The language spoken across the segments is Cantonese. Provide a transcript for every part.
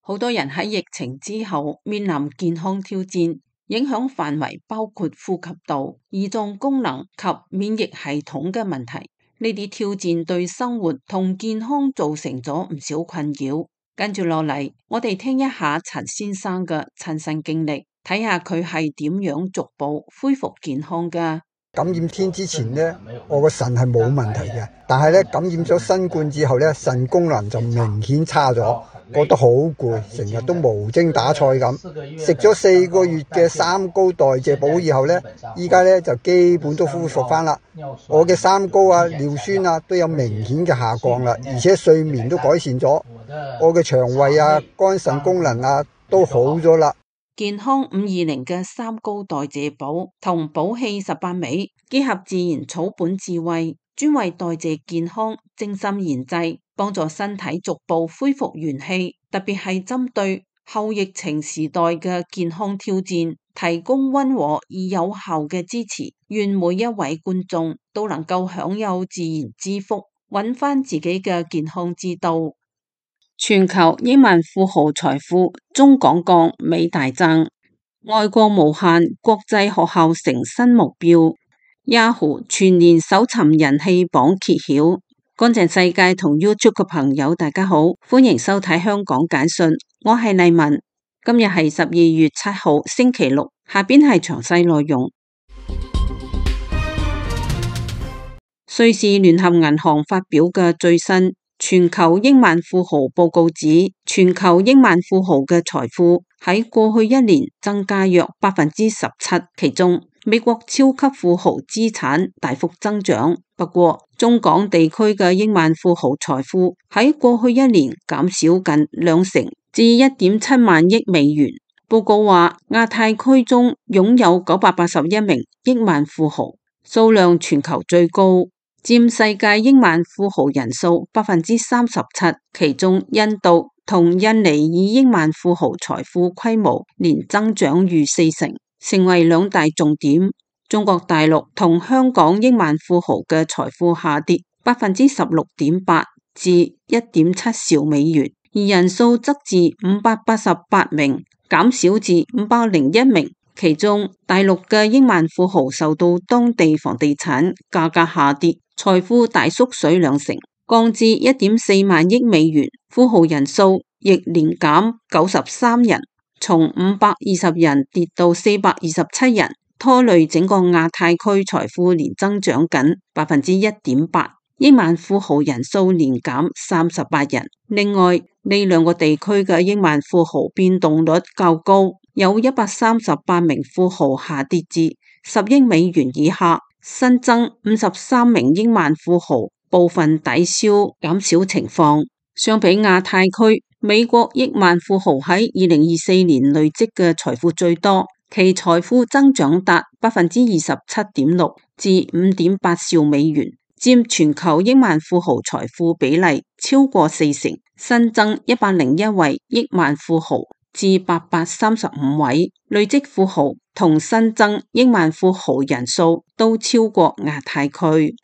好多人喺疫情之後面臨健康挑戰，影響範圍包括呼吸道、胰臟功能及免疫系統嘅問題。呢啲挑戰對生活同健康造成咗唔少困擾。跟住落嚟，我哋聽一下陳先生嘅親身經歷，睇下佢係點樣逐步恢復健康㗎。感染天之前呢，我個腎係冇問題嘅，但係咧感染咗新冠之後咧，腎功能就明顯差咗，覺得好攰，成日都無精打采咁。食咗4個月嘅三高代謝補以後咧，依家咧就基本都恢復翻啦。我嘅三高啊、尿酸啊都有明顯嘅下降啦，而且睡眠都改善咗，我嘅腸胃啊、肝腎功能啊都好咗啦。健康520嘅三高代謝補同補氣18味，結合自然草本智慧，專為代謝健康精心研製，幫助身體逐步恢復元氣，特別係針對後疫情時代嘅健康挑戰，提供溫和而有效嘅支持。願每一位觀眾都能夠享有自然之福，揾翻自己嘅健康之道。全球億萬富豪財富，中港鋼美大增，外國無限國際學校成新目標。Yahoo 全年搜尋人氣榜揭曉。乾淨世界同 YouTube 嘅朋友大家好，歡迎收睇香港簡訊，我係麗文。今日係12月7號星期六，下邊係詳細內容。瑞士聯合銀行發表嘅最新全球億萬富豪報告指，全球億萬富豪嘅財富喺過去1年增加約17%，其中美國超級富豪資產大幅增長。不過，中港地區嘅億萬富豪財富喺過去1年減少近20%，至1.7萬億美元。報告話，亞太區中擁有981名億萬富豪，數量全球最高，佔世界億萬富豪人數37%，其中印度同印尼以億萬富豪財富規模年增長逾40%，成為2大重點。中國大陸同香港億萬富豪嘅財富下跌16.8%至1.7兆美元，而人數則自588名減少至501名。其中大陸嘅億萬富豪受到當地房地產價格下跌，財富大縮水20%，降至1.4萬億美元。富豪人數亦年減93人，從520人跌到427人，拖累整個亞太區財富年增長僅1.8%，億萬富豪人數年減38人。另外，呢2個地區嘅億萬富豪變動率較高，有138名富豪下跌至10億美元以下，新增53名億萬富豪，部分抵消減少情況。相比亞太區，美國億萬富豪喺2024年累積嘅財富最多，其財富增長達27.6%至5.8兆美元，佔全球億萬富豪財富比例超過40%，新增101位億萬富豪至835位，累積富豪同新增億萬富豪人數都超過亞太區。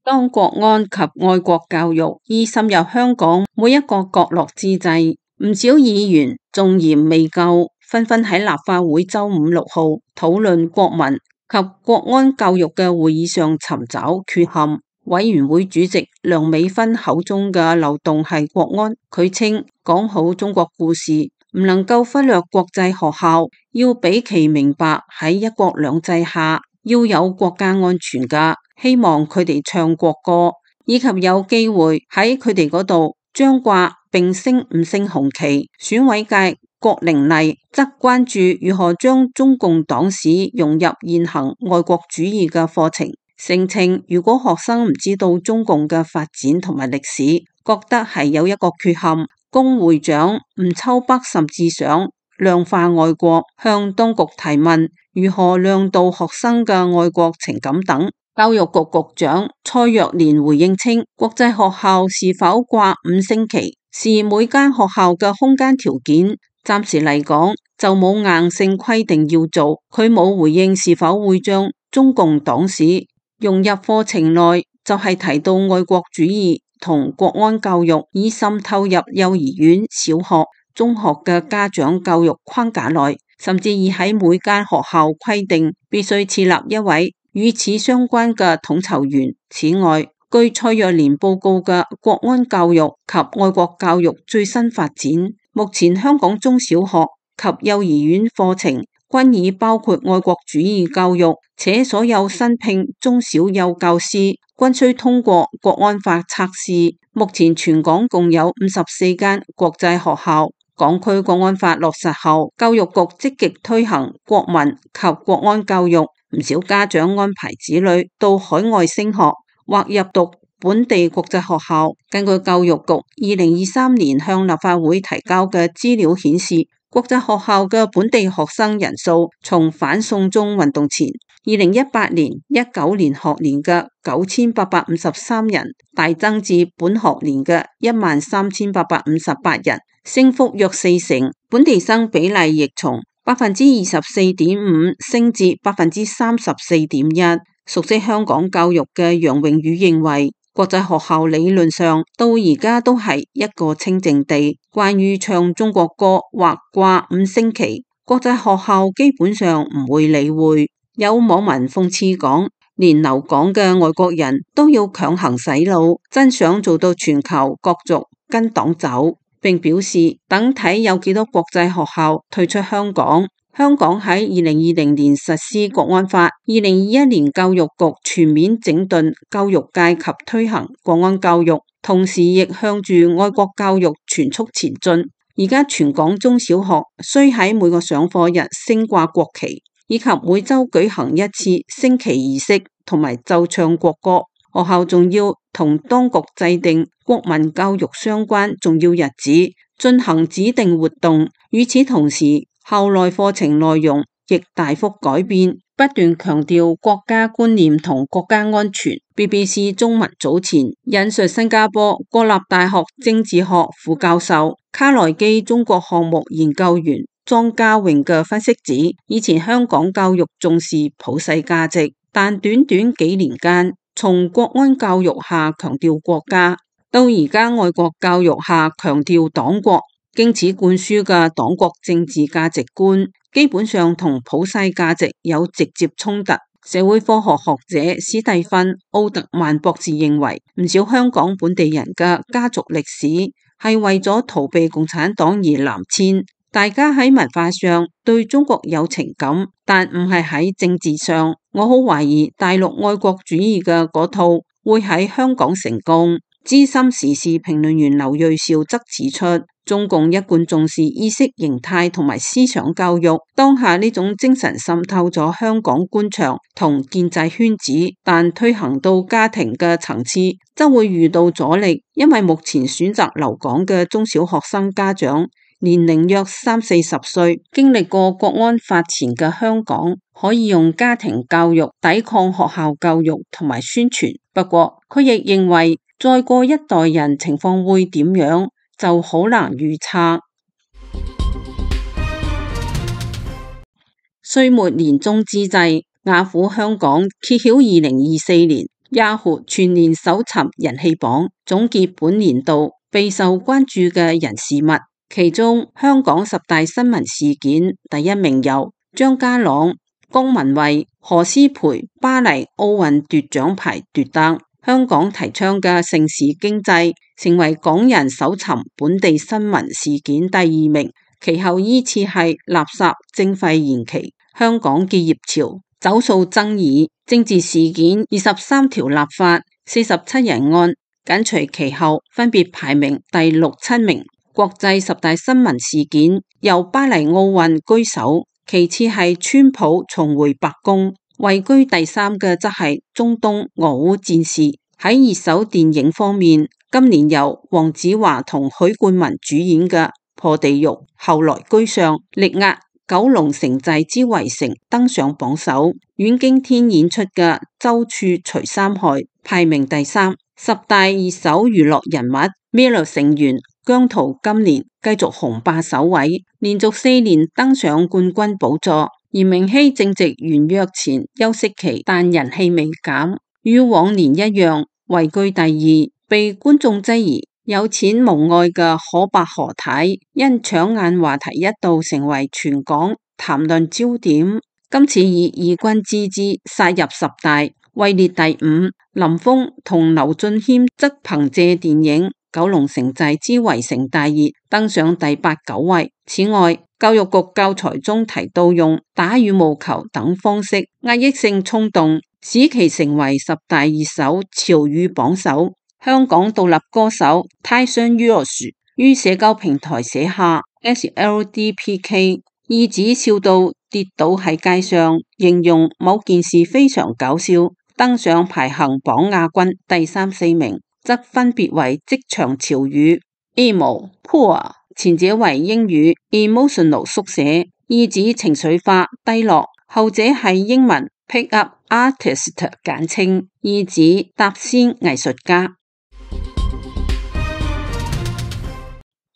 當國安及愛國教育已滲入香港每一個角落之際，唔少議員縱嫌未夠，紛紛喺立法會周5、6號討論國民及國安教育嘅會議上尋找缺陷。委員會主席梁美芬口中嘅漏洞係國安，佢稱講好中國故事唔能夠忽略國際學校，要俾其明白喺一國兩制下要有國家安全㗎。希望佢哋唱國歌，以及有機會喺佢哋嗰度張掛並升5星紅旗。選委界郭玲麗則關注如何將中共黨史融入現行愛國主義嘅課程，聲稱如果學生唔知道中共嘅發展同埋歷史，覺得係有一個缺陷。龔會長吳秋北甚至想量化愛國，向當局提問如何量度學生嘅愛國情感等。教育局局長蔡若蓮回應稱，國際學校是否掛5星旗視每間學校嘅空間條件，暫時嚟講就冇硬性規定要做。佢冇回應是否會將中共黨史融入課程內，就係提到愛國主義同國安教育已滲透入幼兒園、小學、中學嘅家長教育框架內，甚至已喺每間學校規定必須設立一位與此相關嘅統籌員。此外，據蔡若蓮報告嘅國安教育及愛國教育最新發展，目前香港中小學及幼兒園課程均已包括愛國主義教育，且所有新聘中小幼教師均須通過國安法測試。目前全港共有54間國際學校。港區國安法落實後，教育局積極推行國民及國安教育，唔少家長安排子女到海外升學或入讀本地國際學校。根據教育局2023年向立法會提交嘅資料顯示，國際學校嘅本地學生人數從反送中運動前2018年、19年學年嘅9853人，大增至本學年嘅13858人，升幅約40%。本地生比例亦從24.5%升至34.1%。熟悉香港教育嘅楊穎宇認為，國際學校理論上到而家都係一個清靜地，關於唱中國歌或掛5星旗，國際學校基本上唔會理會。有網民諷刺講，連留港嘅外國人都要強行洗腦，真想做到全球各族跟黨走，並表示等睇有幾多國際學校退出香港。香港喺2020年實施國安法，2021年教育局全面整頓教育界及推行國安教育，同時亦向住愛國教育全速前進。而家全港中小學需喺每個上課日升掛國旗，以及每周舉行一次升旗儀式同埋奏唱國歌。學校仲要同當局制定國民教育相關重要日子，進行指定活動。與此同時，校內課程內容亦大幅改變，不斷強調國家觀念同國家安全。BBC 中文早前引述新加坡國立大學政治學副教授卡內基中國項目研究員莊家榮嘅分析指，以前香港教育重視普世價值，但短短幾年間，從國安教育下強調國家，到而家愛國教育下強調黨國。經此灌輸嘅黨國政治價值觀，基本上同普世價值有直接衝突。社會科學學者史蒂芬·奧特曼博士認為，唔少香港本地人嘅家族歷史係為咗逃避共產黨而南遷。大家喺文化上對中國有情感，但唔係喺政治上。我好懷疑大陸愛國主義嘅嗰套會喺香港成功。資深時事評論員劉銳紹則指出，中共一貫重視意識形態同埋思想教育，當下呢種精神滲透咗香港官場同建制圈子，但推行到家庭嘅層次，則會遇到阻力，因為目前選擇留港嘅中小學生家長年齡約30-40歲，經歷過國安法前嘅香港，可以用家庭教育抵抗學校教育同埋宣傳。不過，佢亦認為再過一代人情況會點樣，就好難預測。歲末年終之際，雅虎香港揭曉2024年 Yahoo 全年搜尋人氣榜，總結本年度備受關注嘅人事物。其中，香港10大新聞事件第一名由張家朗、江文慧、何詩蓓巴黎奧運奪獎牌奪得。香港提倡嘅城市經濟成為港人搜尋本地新聞事件第2名，其後依次係垃圾徵費延期、香港結業潮、走數爭議、政治事件、23條立法、47人案，緊隨其後分別排名第6、7名。國際10大新聞事件由巴黎奧運居首，其次係川普重回白宮。位居第3嘅則係中東俄烏戰事。喺熱搜電影方面，今年由黃子華同許冠文主演嘅《破地獄》後來居上，力壓《九龍城寨之圍城》登上榜首。阮經天演出嘅《周處除三害》排名第3。10大熱搜娛樂人物 ，Mirror 成員姜濤今年繼續紅霸首位，連續4年登上冠軍寶座。而明熙正值完約前休息期，但人氣未減，與往年一樣位居第2，被觀眾質疑有錢無愛嘅可伯何太，因搶眼話題一度成為全港談論焦點。今次以異軍之姿殺入10大，位列第5。林峰同劉俊謙則憑借電影《九龍城寨之圍城大熱》登上第8、9位。此外，教育局教材中提到用打羽毛球等方式壓抑性衝動，使其成為10大熱搜潮語榜首。香港獨立歌手 Tyson Yoshi 於社交平台寫下 SLDPK， 意指笑到跌倒喺街上，形容某件事非常搞笑。登上排行榜亞軍第3、4名，則分別為職場潮語 emo、poor， 前者為英語 emotional 縮寫，意指情緒化、低落；後者係英文 pick up artist 簡稱，意指搭仙藝術家。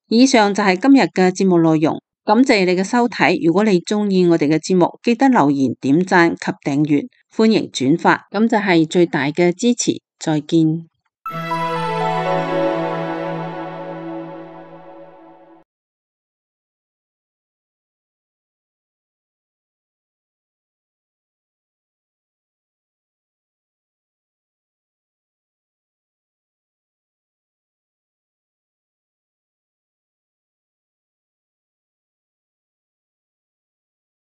以上就係今日嘅節目內容，感謝你嘅收睇。如果你鍾意我哋嘅節目，記得留言、點讚及訂閱，歡迎轉發，咁就係最大嘅支持。再見。